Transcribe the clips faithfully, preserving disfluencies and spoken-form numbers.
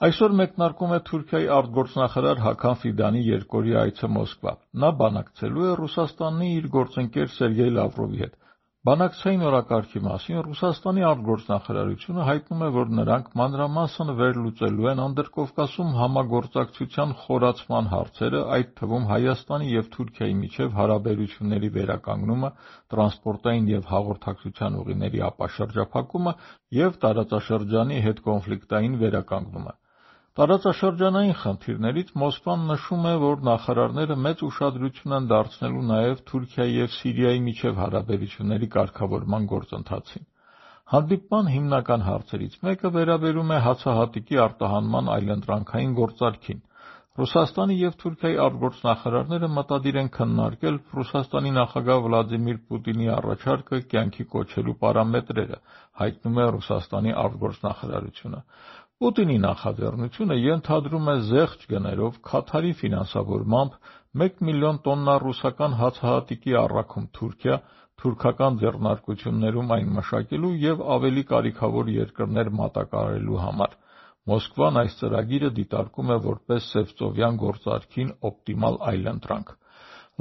Այսօր մեկնարկում է Թուրքիայի արտգործնախարար Հական Ֆիդանի երկօրյա այցը Մոսկվա։ Նա բանակցելու է Ռուսաստանի իր գործընկեր Սերգեյ Լավրովի հետ։ Բանակցային օրակարգի մասին Ռուսաստանի արտգործնախարարությունը հայտնում է, որ նրանք մանրամասն վերլուծելու են Անդրկովկասում համագործակցության խորացման հարցերը, այդ թվում Հայաստանի և Թուրքիայի միջև հարաբերությունների վերականգնումը, տրանսպորտային և հաղորդակցության ուղիների ապաշրջափակումը և տարածաշրջանի հետկոնֆլիկտային վերականգնումը։ Տարածաշրջանային խնդիրներից Մոսկվան նշում է, որ նախարարները մեծ ուշադրություն են դարձնելու նաև Թուրքիայի և Սիրիայի միջև հարաբերությունների կարգավորման գործընթացին։ Հանդիպման հիմնական հարցերից մեկը վերաբերում է հացահատիկի արտահանման այլընտրանքային գործարքին։ Ռուսաստանի և Թուրքիայի արտգործնախարարները մտադիր են քննարկել Ռուսաստանի նախագահ Վլադիմիր Պուտինի առաջարկը կյանքի կոչելու պարամետրերը, հայտնում է Ռուսաստանի արտգործնախարարությունը։ Պուտինի նախաձեռնությունը ենթադրում է զեղչ գներով Քաթարի ֆինանսավորմամբ մեկ միլիոն տոննա ռուսական հացահատիկի առաքում Թուրքիա, թուրքական ձեռնարկություններում այն մշակելու և ավելի կարիքավոր երկրներ մատակարարելու համար։ Մոսկվան այս ծրագիրը դիտարկում է որպես սևծովյան գործարքին օպտիմալ այլընտրանք։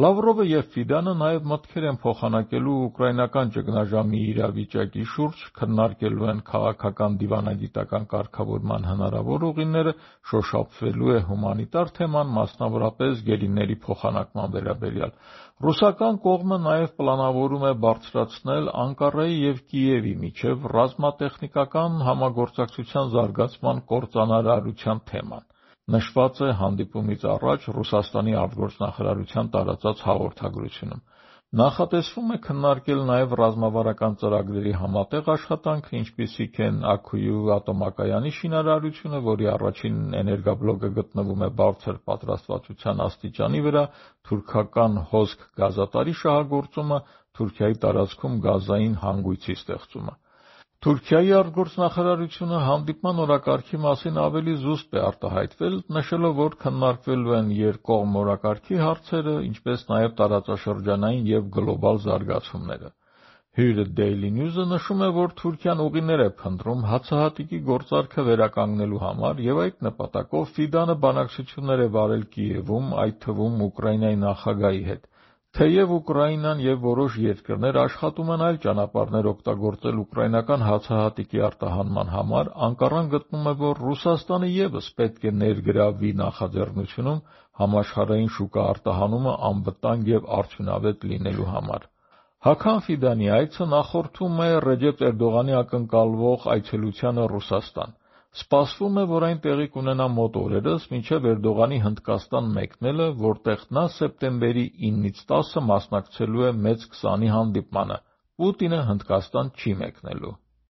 Լավրովը և Ֆիդանը նաև մտքեր են փոխանակելու ուկրաինական ճգնաժամի իրավիճակի շուրջ, քննարկելու են քաղաքական դիվանագիտական կարգավորման հնարավոր ուղիները, շոշափվելու է հումանիտար թեման, մասնավորապես գերիների փոխանակման վերաբերյալ։ Ռուսական կողմը նաև պլանավորում է բարձրացնել Անկարայի և Կիևի միջև ռազմատեխնիկական համագործակցության զարգացման կործանարարության թեման։ Նշված է հանդիպումից առաջ Ռուսաստանի արտգործնախարարության տարածած հաղորդագրությունում։ Նախատեսվում է քննարկել նաև ռազմավարական ծրագրերի համատեղ աշխատանքը, ինչպիսիք են Աքույու ատոմակայանի շինարարությունը, որի առաջին էներգաբլոկը գտնվում է բարձր պատրաստվածության աստիճանի վրա, թուրքական հոսք գազատարի շահագործումը, Թուրքիայի տարածքում գազային հանգույցի ստեղծումը։ Թուրքիայի արտգործնախարարությունը հանդիպման օրակարգի մասին ավելի զուսպ է արտահայտվել, նշելով, որ քննարկվելու են երկկողմ օրակարգի հարցերը, ինչպես նաև տարածաշրջանային և գլոբալ զարգացումները։ Հյուրը Daily News-ը նշում է, որ Թուրքիան ուղիներ է փնտրում հացահատիկի գործարքը վերականգնելու համար և այդ նպատակով Ֆիդանը բանակցություններ է վարել Կիևում, այդ թվում Ուկրաինայի նախագահի հետ։ Թեև Ուկրաինան և որոշ երկրներ աշխատում են այլ ճանապարհներ օգտագործել ուկրաինական հացահատիկի արտահանման համար, Անկարան գտնում է, որ Ռուսաստանը ևս պետք է ներգրավվի նախաձեռնությունում համաշխարհային շուկա արտահանումը անվտանգ և արդյունավետ լինելու համար։ Հական Ֆիդանի այցը նախորդում է Ռեջեփ Էրդողանի ակնկալվող այցելությանը Ռուսաստան։ Սպասվում է, որ այն տեղի կունենա մոտ օրերս, մինչև Էրդողանի Հնդկաստան մեկնելը, որտեղ նա սեպտեմբերի իննից տասը մասնակցելու է մեծ քսանի հանդիպմանը։ Պուտինը Հնդկաստան չի մեկնելու։